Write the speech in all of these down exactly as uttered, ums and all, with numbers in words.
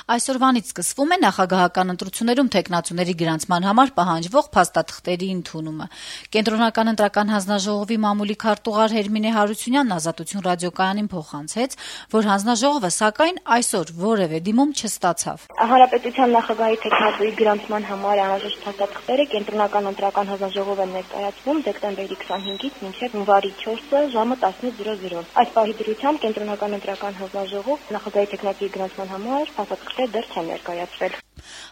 Այսօրվանից սկսվում է նախագահական ընտրություններում թեկնածուների գրանցման համար պահանջվող փաստաթղթերի ընդունումը։ Կենտրոնական ընտրական հանձնաժողովի մամուլի քարտուղար Հերմինե Հարությունյանն Ազատություն ռադիոկայանին փոխանցեց, որ հանձնաժողովը սակայն այսօր որևէ դիմում չստացավ։ Հանրապետության նախագահի թեկնածուի գրանցման համար անհրաժեշտ փաստաթղթերը Կենտրոնական ընտրական հանձնաժողով են ներկայացվում դեկտեմբերի քսանհինգից մինչև հունվարի չորսը ժամը տասնինը։ Այս պահի դրությամբ Կենտրոնական ընտրական հանձնաժողով նախագահի թեկնածուի գրանցման համար փաստաթղթեր դեռ չեն ներկայացվել։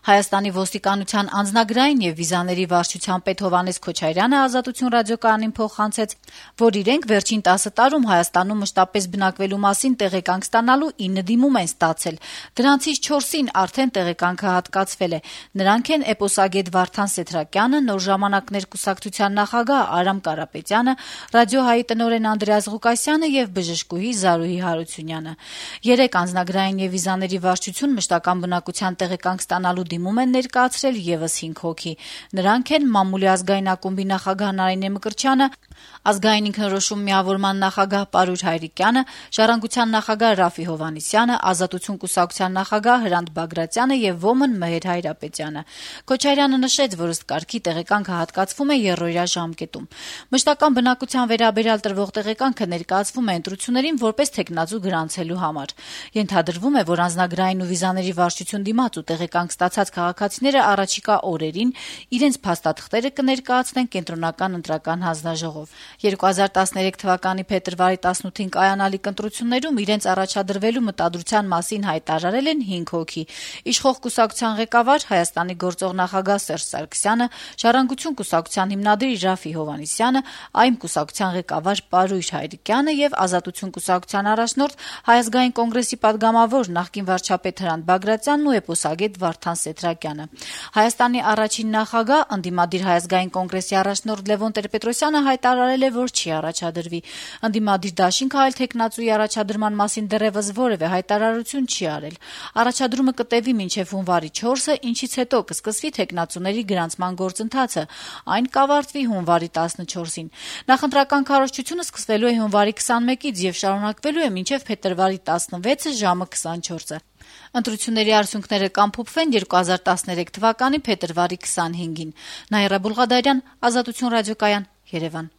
Հայաստանի ոստիկանության անձնագրային եւ վիզաների վարչության պետ Հովհաննես Քոչարյանը Ազատություն ռադիոկայանին փոխանցեց, որ իրենք վերջին տասը տարում Հայաստանում մշտապես բնակվելու մասին տեղեկանք ստանալու ինը դիմում են ստացել։ Դրանցից չորսին արդեն տեղեկանքը հատկացվել է։ Նրանք են էպոսագետ Վարդան Սեթրակյանը, Նոր ժամանակներ կուսակցության նախագահ Արամ Կարապետյանը, Ռադիոհայի տնօրեն Անդրեաս Ղուկասյանը եւ բժշկուհի Զարուհի Հարությունյանը։ Երեք անձնագրային եւ վիզաների վարչություն մշտական բնակության տեղեկանք ստանալու դիմում են ներկայացրել եւս հինգ հոգի։ Նրանք են Մամուլի ազգային ակումբի նախագահ Նարինե Մկրտչյանը, Ազգային ինքնորոշում միավորման նախագահ Պարույր Հայրիկյանը, Ժառանգության նախագահ Ռաֆի Հովհաննիսյանը, Ազատություն կուսակցության նախագահ Հրանտ Բագրատյանը եւ Ոմն Մհեր Հայրապետյանը։ Քոչարյանը նշեց, որ ըստ կարգի տեղեկանքը հատկացվում է եռօրյա ժամկետում։ Մշտական բնակության վերաբերյալ տրվող տեղեկանքը ներկայացվում է ընտրություններին որպես թեկնածու գրանցելու համար։ Ենթադրվում է, որ անձնագրային ու վիզաների վարչություն դիմաց ու տեղեկանք ստացած քաղաքացիները առաջիկա օրերին իրենց փաստաթղթերը կներկայացնեն Կենտրոնական ընտրական հանձնաժողով։ երկու հազար տասներեք թվականի փետրվարի տասնութին կայանալիք ընտրություններում իրենց առաջադրվելու մտադրության մասին հայտարարել են հինգ հոգի։ Իշխող կուսակցության ղեկավար Հայաստանի գործող նախագահ Սերժ Սարգսյանը, Ժառանգություն կուսակցության հիմնադիր Ռաֆի Հովհաննիսյանը, Այ Էմ կուսակցության ղեկավար Պարույր Հայրիկյանը եւ Ազատություն կուսակցության առաջնորդ Հայ ազգային կոնգրեսի падգամավոր նախկին վարչապետ Հրանտ Բագրատյանն ու էպոսագետ Վարդան Սեթրակյանը։ Հայաստանի առաջին նախագահ, ընդդիմադիր Հայ ազգային կոնգրեսի առաջնորդ Լևոն Տեր-Պետրոսյանը հայտարարել է, որ չի առաջադրվի։ Ընդդիմադիր դաշինքը այլ թեկնածուի առաջադրման մասին դեռևս որևէ հայտարարություն չի արել։ Առաջադրումը կտևի մինչև հունվարի չորսը, ինչից հետո կսկսվի թեկնածուների գրանցման գործընթացը։ Այն կավարտվի հունվարի տասնչորսին։ Նախընտրական քարոզչությունը սկսվելու է հունվարի քսանմեկից եւ շարունակվելու է մինչև փետրվարի տասնվեցը ժամը քսանչորսը։ Ընտրությունների արդյունքները կամփոփվեն երկու հազար տասներեք թվականի փետրվարի քսանհինգին։ Նաիրա Բուլղադարյան, Ազատություն ռադիոկայան, Երևան։